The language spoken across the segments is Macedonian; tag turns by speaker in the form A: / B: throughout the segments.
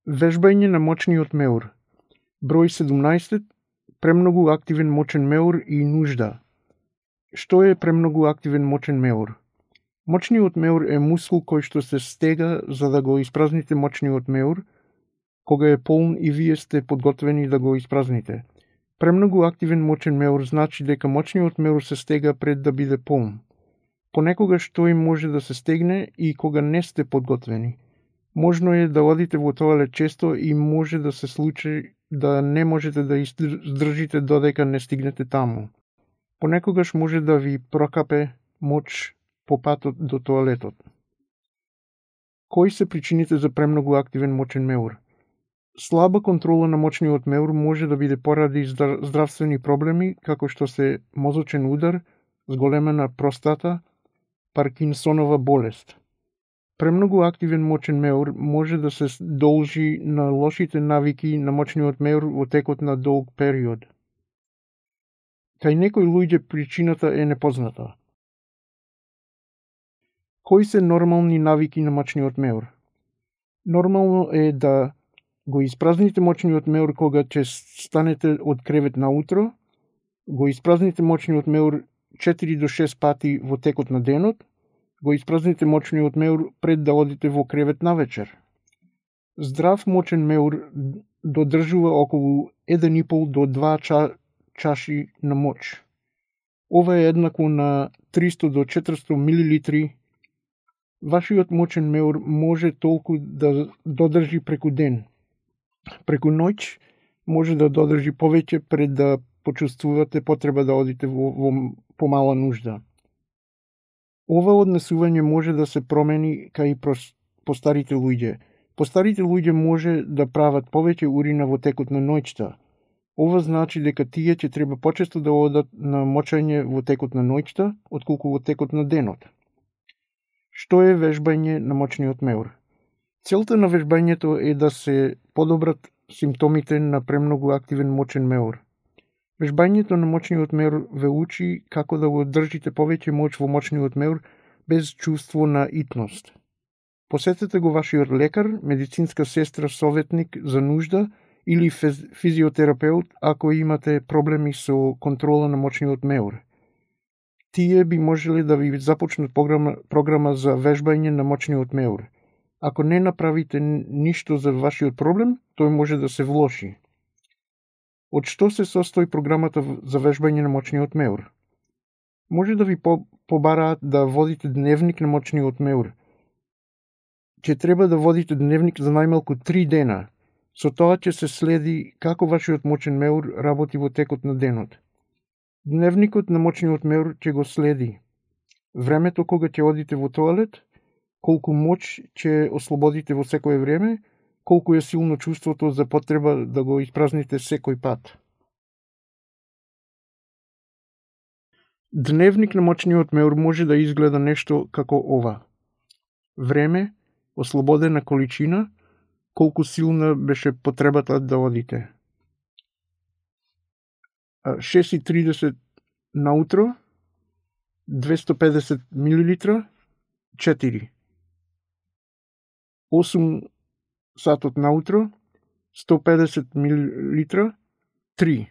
A: Вежбање на мочниот меур. Број 17. Премногу активен мочен меур и нужда. Што е премногу активен мочен меур? Мочниот меур е мускул кој што се стега за да го испразните мочниот меур, кога е полн и вие сте подготвени да го испразните. Премногу активен мочен меур значи дека мочниот меур се стега пред да биде полн. Понекогаш тој може да се стегне и кога не сте подготвени. Можно е да одите во тоалет често и може да се случи да не можете да издржите додека не стигнете таму. Понекогаш може да ви прокапе моч по патот до тоалетот. Кои се причините за премногу активен мочен меур? Слаба контрола на мочниот меур може да биде поради здравствени проблеми, како што се мозочен удар, зголемена простата, Паркинсонова болест. Премногу активен мочен меур може да се должи на лошите навики на мочниот меур во текот на долг период. Кај некои луѓе причината е непозната. Кои се нормални навики на мочниот меур? Нормално е да го испразните мочниот меур кога ќе станете од кревет наутро, го испразните мочниот меур 4 до 6 пати во текот на денот, го испразните мочниот меур пред да одите во кревет навечер. Здрав мочен меур додржува околу 1,5 до 2 чаши на моч. Ова е еднакво на 300 до 400 милилитри. Вашиот мочен меур може толку да додржи преку ден. Преку ноќ може да додржи повеќе пред да почувствувате потреба да одите во помала нужда. Ова однесување може да се промени кај постарите луѓе. Постарите луѓе може да прават повеќе урина во текот на ноќта. Ова значи дека тие ќе треба почесто да одат на мочење во текот на ноќта, отколку во текот на денот. Што е вежбање на мочниот меур? Целта на вежбањето е да се подобрат симптомите на премногу активен мочен меур. Вежбањето на мочниот меур ве учи како да го држите повеќе моч во мочниот меур без чувство на итност. Посетете го вашиот лекар, медицинска сестра, советник за нужда или физиотерапеут ако имате проблеми со контрола на мочниот меур. Тие би можеле да ви започнат програма за вежбање на мочниот меур. Ако не направите ништо за вашиот проблем, тој може да се влоши. Од што се состои програмата за вежбање на мочниот меур? Може да ви побараат да водите дневник на мочниот меур. Ќе треба да водите дневник за најмалку 3 дена. Со тоа ќе се следи како вашиот мочен меур работи во текот на денот. Дневникот на мочниот меур ќе го следи времето кога ќе одите во тоалет, колку моч ќе ослободите во секое време, колку е силно чувството за потреба да го испразните секој пат. Дневник на мочниот меур може да изгледа нешто како ова. Време, ослободена количина, колку силна беше потребата да одите. 6:30 наутро, 250 милилитра, 4. 8 сатот наутро, 150 милилитра, 3.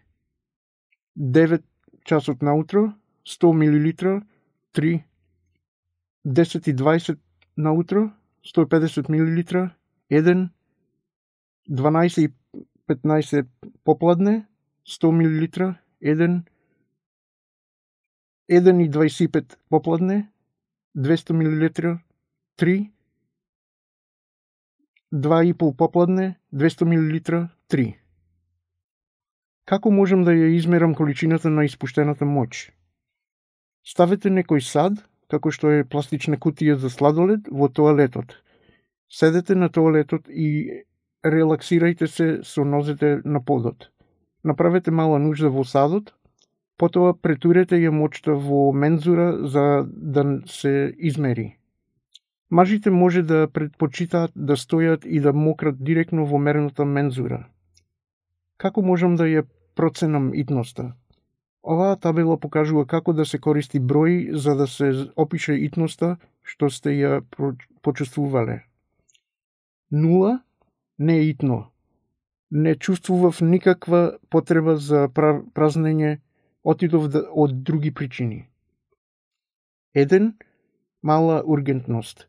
A: 9 часот наутро, 100 милилитра, 3. 10:20 наутро, 150 милилитра, 1. 12:15 попладне, 100 милилитра, 1. 1:25 попладне, 200 милилитра, 3. 2:30 попладне, 200 милилитра, 3. Како можам да ја измерам количината на испуштената моч? Ставете некој сад, како што е пластична кутија за сладолед, во тоалетот. Седете на тоалетот и релаксирајте се со нозете на подот. Направете мала нужда во садот, потоа претурете ја мочта во мензура за да се измери. Мажите може да предпочитаат да стојат и да мократ директно во мерната мензура. Како можам да ја проценам итноста? Оваа табела покажува како да се користи број за да се опише итноста што сте ја почувствувале. 0 не итно. Не чувствував никаква потреба за празнење, отидов од други причини. 1. Мала ургентност.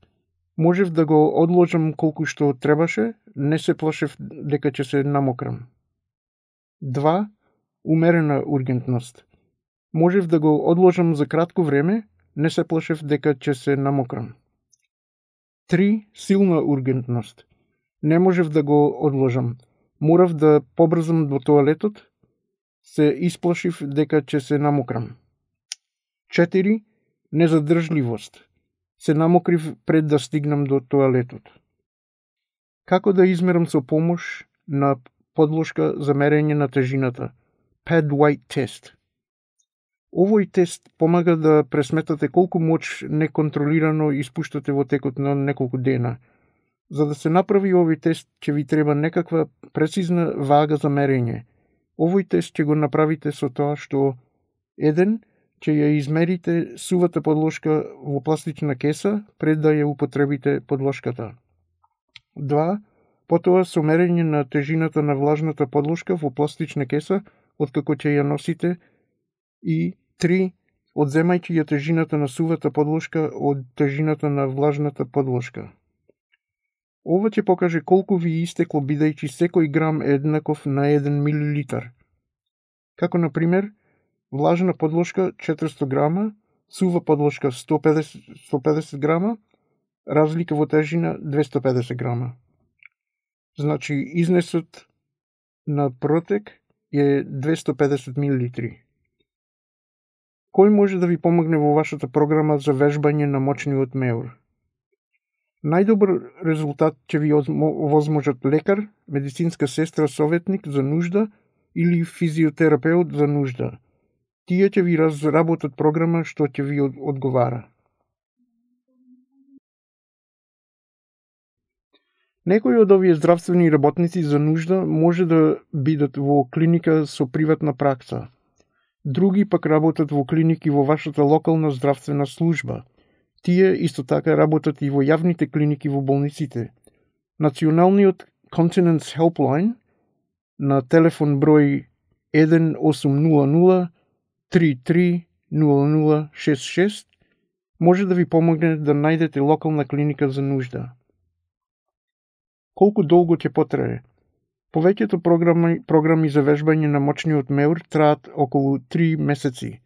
A: Можев да го одложам колку што требаше, не се плашев дека ќе се намокрам. 2. Умерена ургентност. Можев да го одложам за кратко време, не се плашев дека ќе се намокрам. 3. Силна ургентност. Не можев да го одложам. Морав да побрзам до тоалетот, се исплашив дека ќе се намокрам. 4. Незадржливост. Се намокрив пред да стигнам до тоалетот. Како да измерам со помош на подложка за мерење на тежината? Pad-White тест. Овој тест помага да пресметате колку моќ неконтролирано испуштате во текот на неколку дена. За да се направи овој тест, ќе ви треба некаква прецизна вага за мерење. Овој тест ќе го направите со тоа што 1. Ќе ја измерите сувата подложка во пластична кеса пред да ја употребите подложката. 2. Потоа со мерење на тежината на влажната подложка во пластична кеса откако ќе ја носите. И 3. Одземајќи ја тежината на сувата подложка од тежината на влажната подложка. Ова ќе покаже колку ви истекло бидејќи секој грам е еднаков на 1 милилитар. Како на пример, влажна подложка 400 грама, сува подложка 150 грама, разлика во тежина 250 грама. Значи, изнесот на протек е 250 милилитри. Кој може да ви помогне во вашата програма за вежбање на мочниот меур? Најдобар резултат ќе ви возможат лекар, медицинска сестра советник за нужда или физиотерапеут за нужда. Тие ќе ви разработат програма што ќе ви одговара. Некои од овие здравствени работници за нужда може да бидат во клиника со приватна пракса. Други пак работат во клиники во вашата локална здравствена служба. Тие исто така работат и во јавните клиники во болниците. Националниот Continence Helpline на телефон број 1800 33 0066 може да ви помогне да најдете локална клиника за нужда. Колку долго ќе потрае? Повеќето програми за вежбање на мочниот меур траат околу 3 месеци.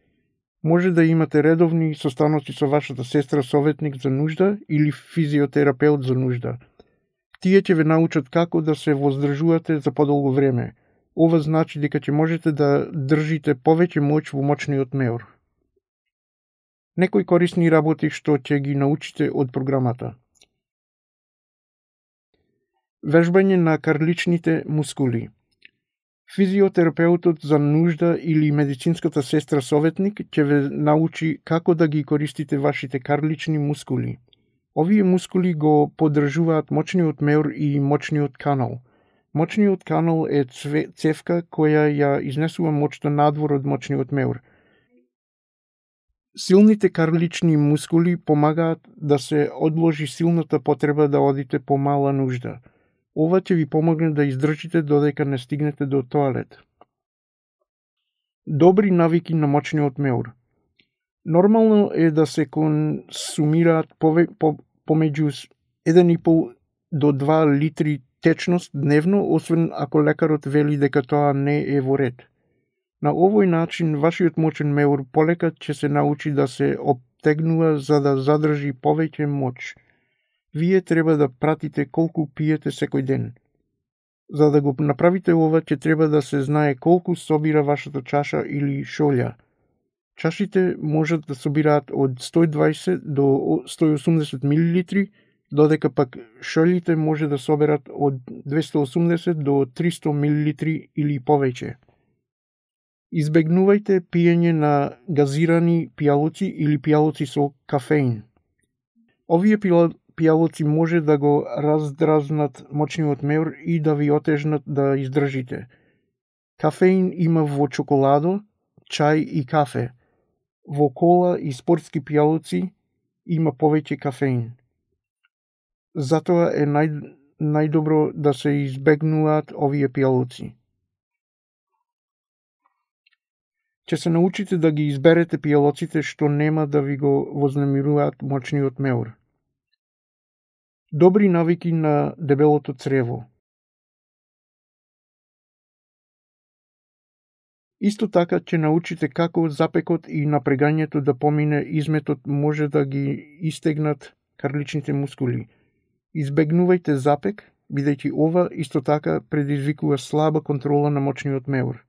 A: Може да имате редовни состаноци со вашата сестра советник за нужда или физиотерапеут за нужда. Тие ќе ве научат како да се воздржувате за подолго време. Ова значи дека ќе можете да држите повеќе моќ во мочниот меур. Некои корисни работи што ќе ги научите од програмата. Вежбање на карличните мускули. Физиотерапеутот за нужда или медицинската сестра советник ќе ве научи како да ги користите вашите карлични мускули. Овие мускули го поддржуваат мочниот меур и мочниот канал. Мочниот канал е цевка која ја изнесува моќта надвор од мочниот меур. Силните карлични мускули помагаат да се одложи силната потреба да одите по мала нужда. Ова ќе ви помогне да издржите додека не стигнете до тоалет. Добри навики на мочниот меур. Нормално е да се консумираат помеѓу 1,5 до 2 литри течност дневно, освен ако лекарот вели дека тоа не е во ред. На овој начин, вашиот мочен меур полека ќе се научи да се обтегнува за да задржи повеќе моќ. Вие треба да пратите колку пиете секој ден. За да го направите ова, ќе треба да се знае колку собира вашата чаша или шолја. Чашите можат да собираат од 120 до 180 мл, додека пак шолјите може да соберат од 280 до 300 мл или повеќе. Избегнувајте пиење на газирани пијалоци или пијалоци со кафеин. Овие пијалоци може да го раздразнат мочниот меур и да ви отежнат да издржите. Кафеин има во чоколадо, чај и кафе. Во кола и спортски пијалоци има повеќе кафеин. Затоа е најдобро да се избегнуваат овие пијалоци. Ќе се научите да ги изберете пијалоците што нема да ви го вознемируваат мочниот меур. Добри навики на дебелото црево. Исто така ќе научите како запекот и напрегањето да помине изметот може да ги истегнат карличните мускули. Избегнувајте запек, бидејќи ова исто така предизвикува слаба контрола на мочниот меур.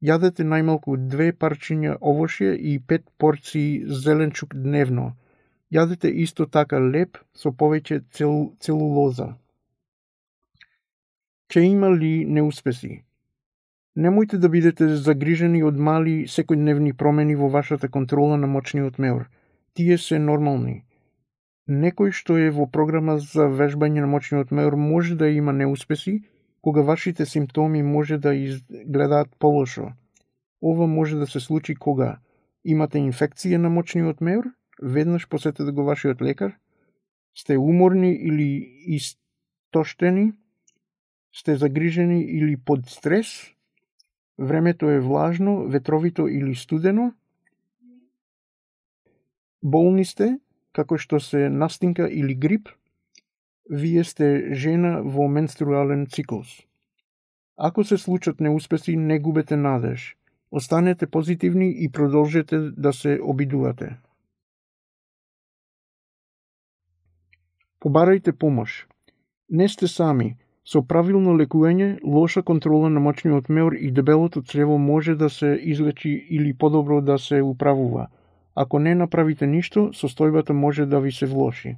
A: Јадете најмалку 2 парчиња овошје и 5 порции зеленчук дневно. Јадете исто така леб со повеќе целулоза. Ќе има ли неуспеси? Немојте да бидете загрижени од мали секојдневни промени во вашата контрола на мочниот меур. Тие се нормални. Некој што е во програма за вежбање на мочниот меур може да има неуспеси, кога вашите симптоми може да изгледаат полошо. Ова може да се случи кога имате инфекција на мочниот меур, веднаш посетете го вашиот лекар, сте уморни или истоштени, сте загрижени или под стрес, времето е влажно, ветровито или студено, болни сте, како што се настинка или грип, вие сте жена во менструален циклус. Ако се случат неуспеси, не губете надеж. Останете позитивни и продолжете да се обидувате. Побарајте помош. Не сте сами. Со правилно лекување, лоша контрола на мочниот меур и дебелото црево може да се излечи или подобро да се управува. Ако не направите ништо, состојбата може да ви се влоши.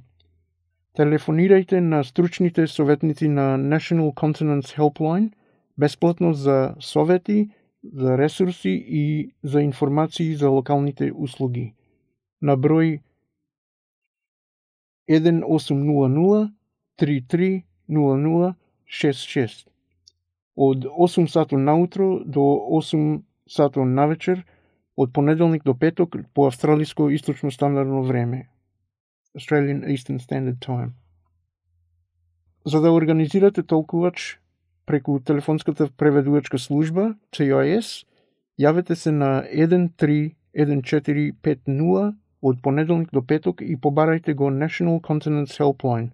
A: Телефонирајте на стручните советници на National Continence Helpline бесплатно за совети, за ресурси и за информации за локалните услуги. На број 1800 33 0066 од 8 сато наутро до 8 сато навечер од понеделник до петок по австралиско источно стандардно време. Australian Eastern Standard Time. За да организирате толкувач преку телефонската преведувачка служба TIS, јавете се на 131450 од понеделник до петок и побарајте го National Continence Helpline.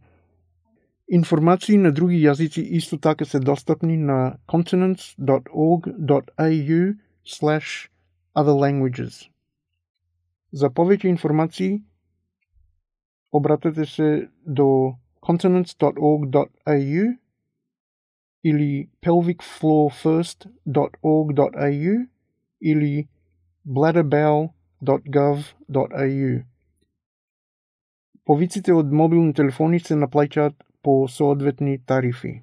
A: Информации на други јазици исто така се достапни на continence.org.au/other languages. За повеќе информации обратете се до continence.org.au или pelvicfloorfirst.org.au или bladderbowel.gov.au. Повиците од мобилни телефони се наплаќаат по соодветни тарифи.